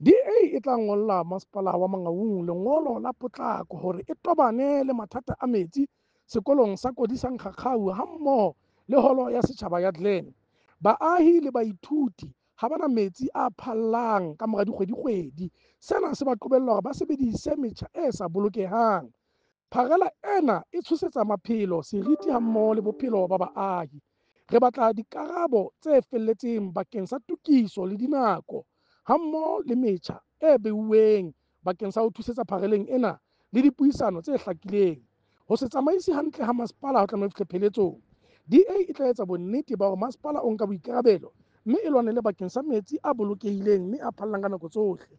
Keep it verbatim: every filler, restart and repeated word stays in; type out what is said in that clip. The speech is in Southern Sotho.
D A e tla ngolla Masepala wa Mangaung lengolo la potlako hore e tobane le mathata a metsi sekolong sa Kodisang Kgakgau hammoho le holo ya setjhaba ya Glen. Baahi le baithuti ha ba na metsi a phallang kamora dikgwedikgwedi. Sena se ba qobella hore ba sebedise metjha e sa bolokehang. Pharela ena e tshosetsa maphelo, seriti hammoho le bophelo ba baahi. Re batla dikarabo tse felletseng bakeng sa tokiso le dinako, hammoho le metjha e beuweng bakeng sa ho thusetsa phareleng ena le dipuisano tse hlakileng. Ho se tsamaise hantle ha masepala ho tlameha ho fihle pheletsong. D A e tla etsa bonnete ba hore masepala o nka boikarabelo mme e lwanele bakeng sa metsi a bolokehileng mme a phallang ka nako tsohle.